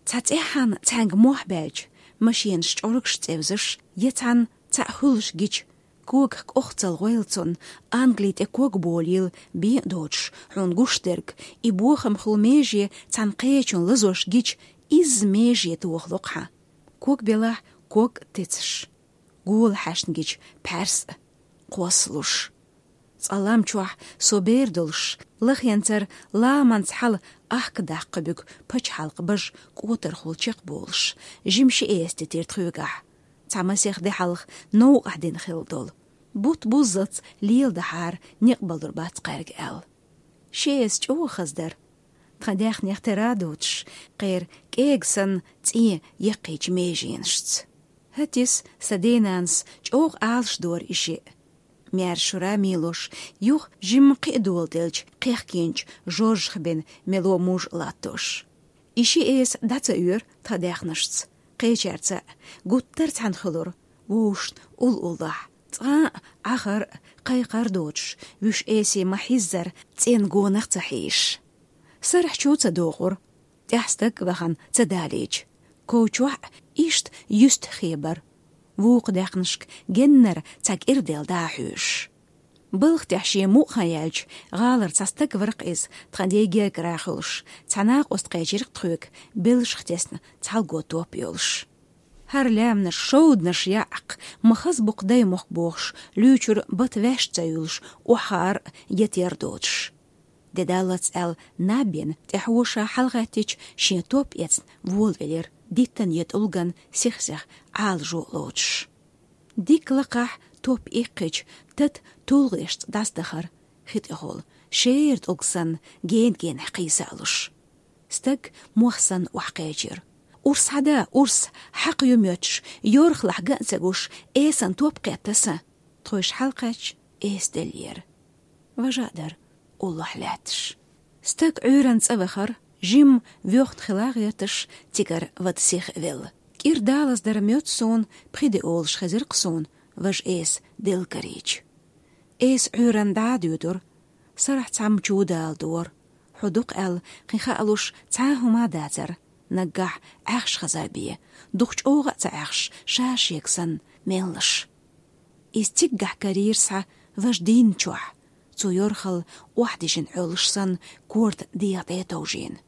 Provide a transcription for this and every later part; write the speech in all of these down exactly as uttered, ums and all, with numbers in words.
Цхьа цӀеххьана цхьаьнга мохь баьлча, машенаш чӀоргаш цӀевзаш, я цхьанна цхьаъ хуьлуш гича, когах кӀохцал гӀойла цунна, Англи тӀе ког болийла бен а доцуш, хьуна гуш дерг, и бохам хуьлу меже цхьана кхечун лазош гича, изза меже тохало-кх хьан. Ког белахь, ког тецаш. Гола хьаьшна гича пхьаьрс а кхоссалуш. Цкъа лам чохь со бер долуш, лахенцара ламанца хьала ахка даккха буьгу пачхьалкх бажа кӀотархула чекхболуш, жима ши эса дитира тхоьгахь. Цхьа масех де хьалха новкъахь дина хилла долу. Бутт буззалц леладахьара некъ балур бац кхаьрга аьлла. Ши эса чӀогӀа хаза дара. Тхан даьхнех тера а доцуш, кхеран кӀега санна цӀен яккхийчу меженашца. ХӀетис сан денанас чӀогӀа Ӏалашдора и шиъ. Маьрша шура мийлош, юха жимма кхин а доладелча, кхехкинчу жожахбина мело муж а латтош. И ши эса дӀа ца оьру тхан даьхнашца, кхечаьрца а, гуттар а цхьаьна хуьлура, вовшашна уллохь. Цкъа а Ӏахар а, кхайкхар а доцуш, вуьш эсий ма-хьиззара цӀенна гонах ца хьийзаш. Сарахь чу ца дохура, тӀаьхьа стаг а вахана ца далийча, ков чохь а иштта юьстахь хебара, вукху даьхнашка геннара цхьа кӀира делла дӀа а хьоьжуш. Балха тӀехь шен мукъа хан яьлча, гӀалара цхьа стаг вара-кх иза, тхан ден гергара хуьлуш, цхьа накъост кхечира-кх тхоьга, белшах тесна цхьалго топ йолуш. ХӀара лаьмнаш, шовданаш яӀ-кх, ма хаза бу-кх даймохк бохуш, луьйчуьра бата ваьшна ца юьллуш, охьахаар а, етар а доцуш. Де даллалц аьлла, наб бина, тӀаьхьо ша хьалагӀаьттича, шен топ эцна волавелира, диттан я тӀулган сих-сиха Ӏалашо а лоцуш. Дика лакхахь топ иккхича, тата тулгӀешца дӀасадахара, хи тӀехула, шера тӀулг санна, гена-генахь кхийса а луш. Стаг мох санна охьакхечира. «Урс хьада, урс, хьакха ю моьттуш, йорхалахь ган а ца гуш, эсан топ кхетта сан». Тхойша хьалакхаьчча, эса деллера. Важа а дара, уллохь лаьтташ. Стаг Ӏуьйранна цӀа вахара, жимма воьхна хила гӀерташ, цигара вада сиха а велла. КӀира далаза дара моьтту суна, пхи де олуш хезира-кх суна, важа эса делла карийча. Эса Ӏуьйранна дӀа а дуьйдура, сарахь цхьамма чу дала дора. Хьо ду-кх аьлла, кхин хаалуш цхьа а хӀума а дацара, наггахь Ӏаьхьаш хаза бен, дукха чӀогӀа а ца Ӏаьхьаш, ша шега санна, меллаш. Иза циггахь карийра схьа важа дийнна чохь, цо йорхалла охьадижина Ӏоьллуш санна, корта дегӀа тӀе а товжийна.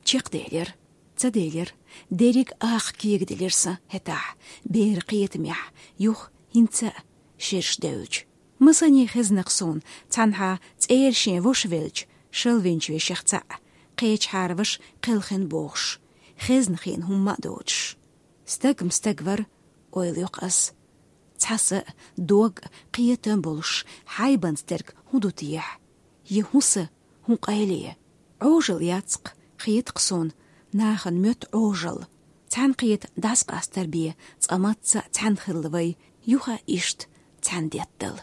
Чекхделира, ца делира, дерриг а акха кегаделира сан хӀетахь, бер кхетамехь, юха хӀинца а шераш девлча. Масане хезна-кх суна, цхьанхьа цӀера шен ваша велча, шалвинчу вешех цхьаъ, кхечахьара ваша кхелхина бохуш, хезна хиъна хӀумма а доцуш. Стаг-м стаг вара, ойла йо-кх ас. Цхьа са а, дог а, кхетам а болуш, хьайбанца дерг хӀун ду техьа? Я хӀун са, хӀун къайле? Ӏожалла яц-кх, хета-кх суна, нахана моьтту Ӏожалла. Цхьаьнакхета дӀасакъастар бен, цкъа мацца а цхьаьна хилла вай, юха а иштта цхьаьна деттал.